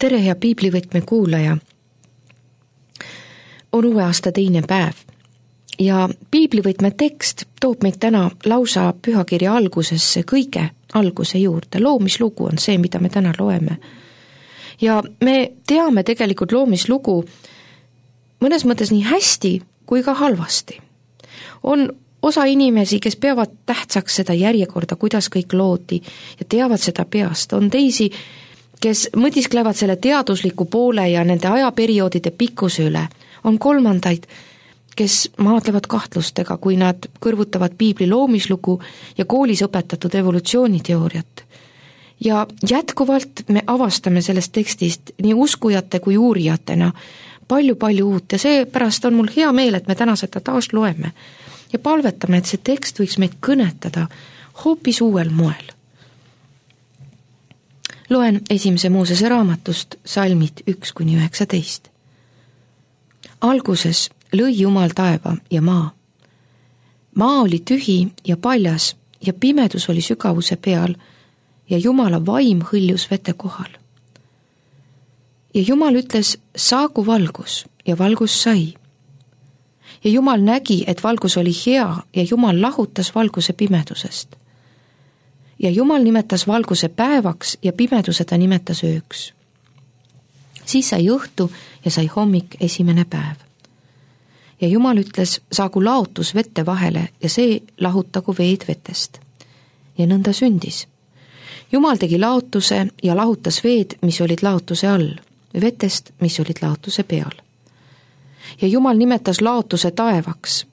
tere, hea piiblivõtme kuulaja! On uue aasta teine päev ja piiblivõtme tekst toob meid täna lausa pühakirja algusesse, kõige alguse juurde. Loomislugu on see, mida me täna loeme. Ja me teame tegelikult loomislugu mõnes mõttes nii hästi kui ka halvasti. On osa inimesi, kes peavad tähtsaks seda järjekorda, kuidas kõik loodi ja teavad seda peast. On teisi, kes mõtisklevad selle teadusliku poole ja nende ajaperioodide pikkuse üle. On kolmandaid, kes maadlevad kahtlustega, kui nad kõrvutavad piibli loomislugu ja koolis õpetatud evolutsiooniteooriat. Ja jätkuvalt me avastame sellest tekstist nii uskujate kui uurijatena palju uut ja seepärast on mul hea meel, et me täna seda taas loeme ja palvetame, et see tekst võiks meid kõnetada hoopis uuel moel. Loen 1. Moosese raamatust salmid 1-19. Alguses lõi Jumal taeva ja maa. Maa oli tühi ja paljas ja pimedus oli sügavuse peal ja Jumala vaim hõljus vete kohal. Ja Jumal ütles, saagu valgus ja valgus sai. Ja Jumal nägi, et valgus oli hea ja Jumal lahutas valguse pimedusest. Ja Jumal nimetas valguse päevaks ja pimeduse ta nimetas ööks. Siis sai õhtu ja sai hommik esimene päev. Ja Jumal ütles, saagu laotus vette vahele ja see lahutagu veed vetest. Ja nõnda sündis. Jumal tegi laotuse ja lahutas veed, mis olid laotuse all, vetest, mis olid laotuse peal. Ja Jumal nimetas laotuse taevaks.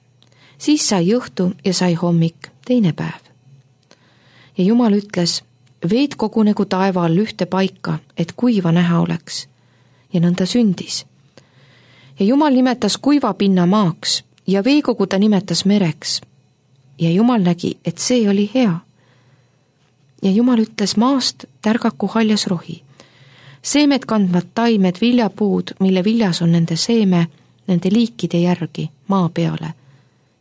Siis sai õhtu ja sai hommik teine päev. Ja Jumal ütles, veed kogunegu taeva all ühte paika, et kuiva näha oleks. Ja nõnda sündis. Ja Jumal nimetas kuiva pinna maaks ja veekogu ta nimetas mereks. Ja Jumal nägi, et see oli hea. Ja Jumal ütles, maast tärgaku haljas rohi. Seemed kandvad taimed viljapuud, mille viljas on nende seeme, nende liikide järgi maa peale.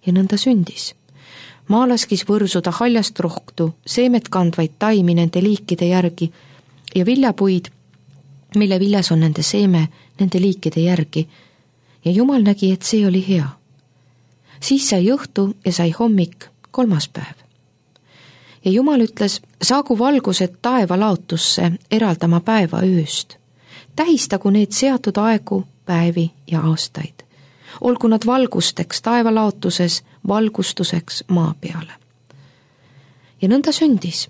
Ja nõnda sündis. Maa laskis võrsuda haljast rohtu, seemed kandvaid taimi nende liikide järgi ja viljapuid, mille viljas on nende seeme, nende liikide järgi. Ja Jumal nägi, et see oli hea. Siis sai õhtu ja sai hommik kolmas päev. Ja Jumal ütles, saagu valgused taeva laotusse eraldama päeva ööst. Tähistagu need seatud aegu, päevi ja aastaid. Olgu nad valgusteks taeva laotuses, valgustuseks maa peale. Ja nõnda sündis.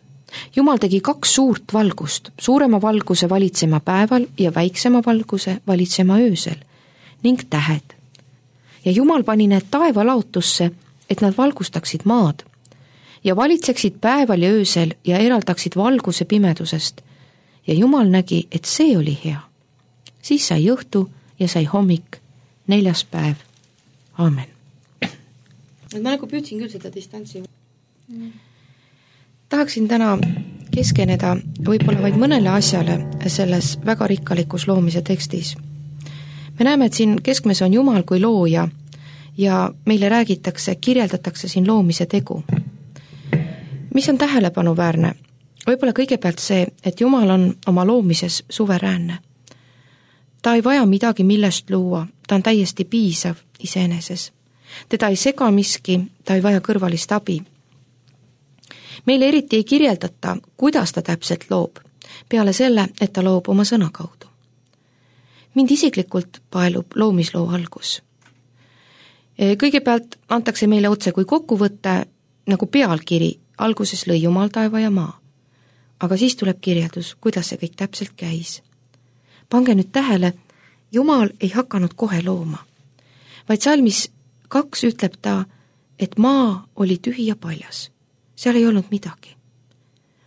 Jumal tegi 2 suurt valgust, suurema valguse valitsema päeval ja väiksema valguse valitsema öösel ning tähed. Ja Jumal pani need taeva laotusse, et nad valgustaksid maad ja valitseksid päeval ja öösel ja eraldaksid valguse pimedusest. Ja Jumal nägi, et see oli hea. Siis sai õhtu ja sai hommik, 4. päev. Aamen. Ma nagu püüdsin küll seda distantsi. Tahaksin täna keskeneda võib-olla vaid mõnele asjale selles väga rikkalikus loomise tekstis. Me näeme, et siin keskmes on Jumal kui looja ja meile räägitakse, kirjeldatakse siin loomise tegu. Mis on tähelepanuväärne? Võib-olla kõigepealt see, et Jumal on oma loomises suveräänne. Ta ei vaja midagi, millest luua, ta on täiesti piisav iseeneses. Teda ei sega miski, ta ei vaja kõrvalist abi. Meile eriti ei kirjeldata, kuidas ta täpselt loob, peale selle, et ta loob oma sõna kaudu. Mind isiklikult paelub loomisloo algus. Kõigepealt antakse meile otse kui kokkuvõtte, nagu pealkiri, alguses lõi Jumal taeva ja maa. Aga siis tuleb kirjeldus, kuidas see kõik täpselt käis. Pange nüüd tähele, Jumal ei hakanud kohe looma, vaid salmis 2 ütleb ta, et maa oli tühi ja paljas. Seal ei olnud midagi.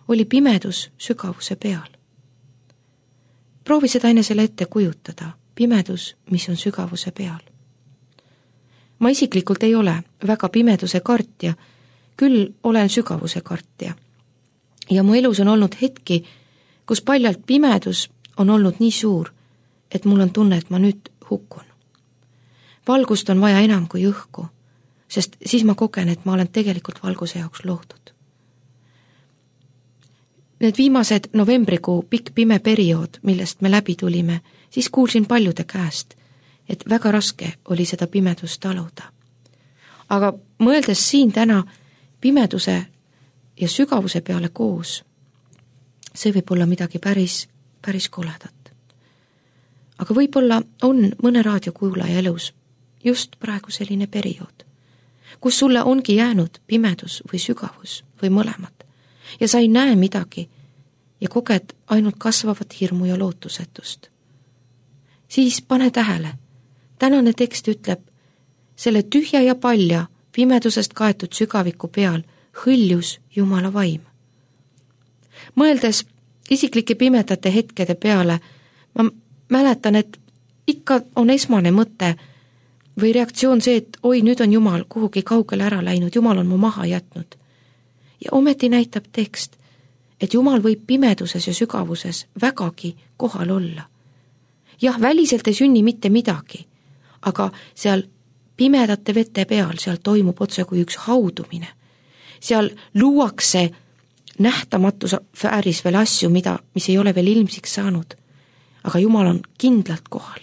Oli pimedus sügavuse peal. Proovi seda enesele ette kujutada, pimedus, mis on sügavuse peal. Ma isiklikult ei ole väga pimeduse kartja, küll olen sügavuse kartja. Ja mu elus on olnud hetki, kus paljalt pimedus on olnud nii suur, et mul on tunne, et ma nüüd hukkun. Valgust on vaja enam kui õhku, sest siis ma kogen, et ma olen tegelikult valguse jaoks loodud. need viimased novembrikuu pikk pime periood, millest me läbi tulime, siis kuulsin paljude käest, et väga raske oli seda pimedust taluda. Aga mõeldes siin täna pimeduse ja sügavuse peale koos, see võib olla midagi päris koledat. Aga võib-olla on mõne raadiokuulaja elus just praegu selline periood, kus sulle ongi jäänud pimedus või sügavus või mõlemad ja sa ei näe midagi ja koged ainult kasvavat hirmu ja lootusetust. Siis pane tähele, tänane tekst ütleb, selle tühja ja palja pimedusest kaetud sügaviku peal hõljus Jumala vaim. Mõeldes isiklike pimedate hetkede peale, ma mäletan, et ikka on esmane mõte või reaktsioon see, et oi, nüüd on Jumal kuhugi kaugele ära läinud, Jumal on mu maha jätnud. Ja ometi näitab tekst, et Jumal võib pimeduses ja sügavuses vägagi kohal olla. Jah, väliselt ei sünni mitte midagi, aga seal pimedate vete peal, seal toimub otse kui üks haudumine. Seal luuakse nähtamatu sfääris veel asju, mis ei ole veel ilmsiks saanud, aga Jumal on kindlalt kohal.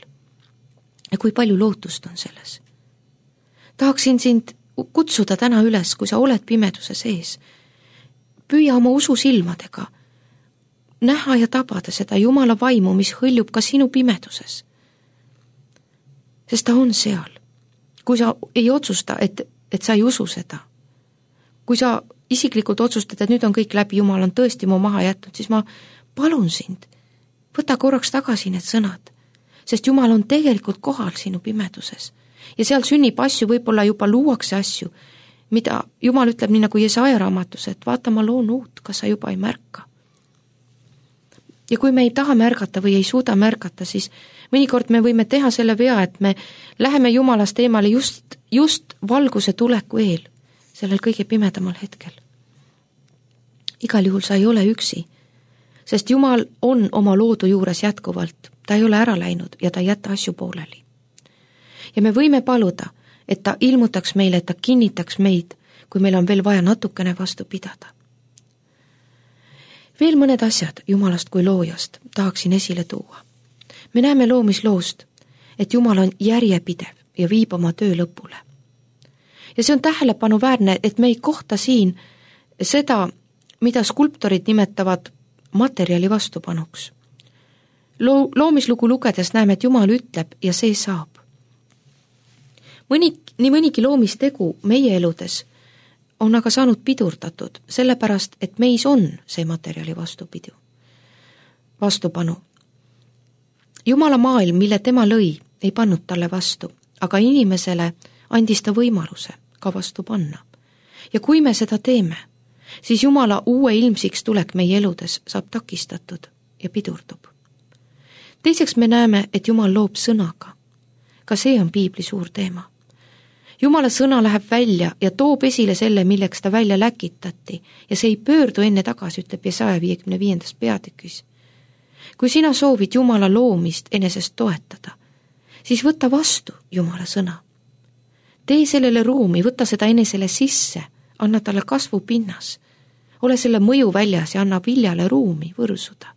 Ja kui palju lootust on selles. Tahaksin sind kutsuda täna üles, kui sa oled pimeduse sees. Püüa oma usu silmadega näha ja tabada seda Jumala vaimu, mis hõljub ka sinu pimeduses. Sest ta on seal. Kui sa ei otsusta, et sa ei usu seda, kui sa isiklikult otsustad, et nüüd on kõik läbi, Jumal on tõesti mu maha jätnud, siis ma palun sind, võta korraks tagasi need sõnad, sest Jumal on tegelikult kohal sinu pimeduses. Ja seal sünnib asju, võib-olla juba luuakse asju, mida Jumal ütleb nii nagu Jesaja raamatus, et vaata, ma loon uut, kas sa juba ei märka. Ja kui me ei taha märgata või ei suuda märgata, siis mõnikord me võime teha selle vea, et me läheme Jumalast eemale just valguse tuleku eel, sellel kõige pimedamal hetkel. Igal juhul sa ei ole üksi, sest Jumal on oma loodu juures jätkuvalt, ta ei ole ära läinud ja ta ei jäta asju pooleli. Ja me võime paluda, et ta ilmutaks meile, et ta kinnitaks meid, kui meil on veel vaja natukene vastu pidada. Veel mõned asjad Jumalast kui loojast tahaksin esile tuua. Me näeme loomisloost, et Jumal on järjepidev ja viib oma töö lõpule. Ja see on tähelepanuväärne, et me ei kohta siin seda, mida skulptorid nimetavad materjali vastupanuks. Loomislugu lugedes näeme, et Jumal ütleb ja see saab. Nii mõnigi loomistegu meie eludes on aga saanud pidurdatud, sellepärast, et meis on see materjali vastupanu. Jumala maailm, mille tema lõi, ei pannud talle vastu, aga inimesele andis ta võimaluse ka vastu panna. Ja kui me seda teeme, siis Jumala uue ilmsiks tulek meie eludes saab takistatud ja pidurdub. Teiseks me näeme, et Jumal loob sõnaga. Ka see on piibli suur teema. Jumala sõna läheb välja ja toob esile selle, milleks ta välja läkitati ja see ei pöördu enne tagasi, ütleb Jesaja 55. peatükis. Kui sina soovid Jumala loomist enesest toetada, siis võta vastu Jumala sõna. Tee sellele ruumi, võta seda enesele sisse, anna talle kasvupinnas, ole selle mõju väljas ja anna viljale ruumi võrsuda.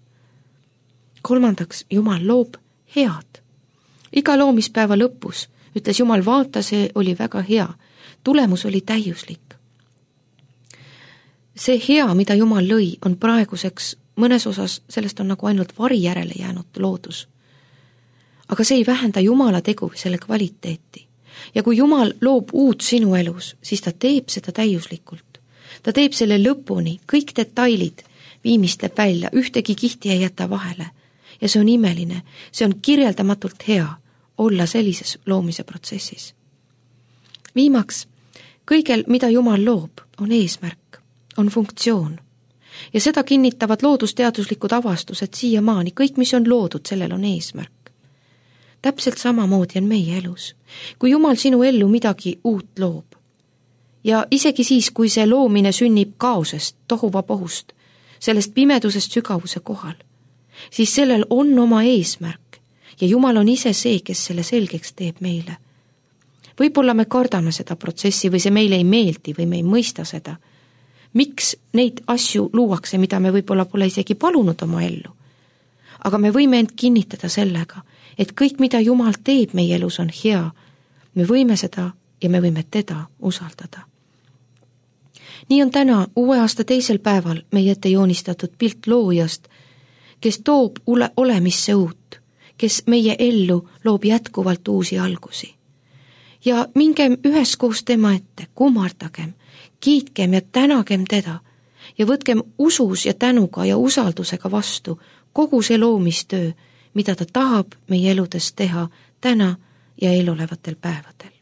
Kolmandaks, Jumal loob head. Iga loomispäeva lõpus ütles Jumal, vaata, see oli väga hea. Tulemus oli täiuslik. See hea, mida Jumal lõi, on praeguseks mõnes osas, sellest on nagu ainult vari järele jäänud loodus. Aga see ei vähenda Jumala tegu selle kvaliteeti. Ja kui Jumal loob uut sinu elus, siis ta teeb seda täiuslikult. Ta teeb selle lõpuni, kõik detailid viimistleb välja, ühtegi kihti ei jäta vahele. Ja see on imeline, see on kirjeldamatult hea olla sellises loomise protsessis. Viimaks, kõigel, mida Jumal loob, on eesmärk, on funktsioon. Ja seda kinnitavad loodusteaduslikud avastused siiamaani, kõik, mis on loodud, sellel on eesmärk. Täpselt samamoodi on meie elus. Kui Jumal sinu ellu midagi uut loob, ja isegi siis, kui see loomine sünnib kaosest, tohuvapohust, sellest pimedusest sügavuse kohal, siis sellel on oma eesmärk ja Jumal on ise see, kes selle selgeks teeb meile. Võib-olla me kardame seda protsessi või see meile ei meeldi või me ei mõista seda. miks neid asju luuakse, mida me võib-olla pole isegi palunud oma ellu. Aga me võime end kinnitada sellega, et kõik, mida Jumal teeb meie elus, on hea. Me võime seda ja me võime teda usaldada. Nii on täna uue aasta teisel päeval meie ette joonistatud pilt loojast, kes toob olemisse uut, kes meie ellu loob jätkuvalt uusi algusi. Ja mingem üheskoos tema ette, kummardagem, kiitkem ja tänagem teda ja võtkem usus ja tänuga ja usaldusega vastu kogu see loomistöö, mida ta tahab meie eludes teha täna ja eelolevatel päevadel.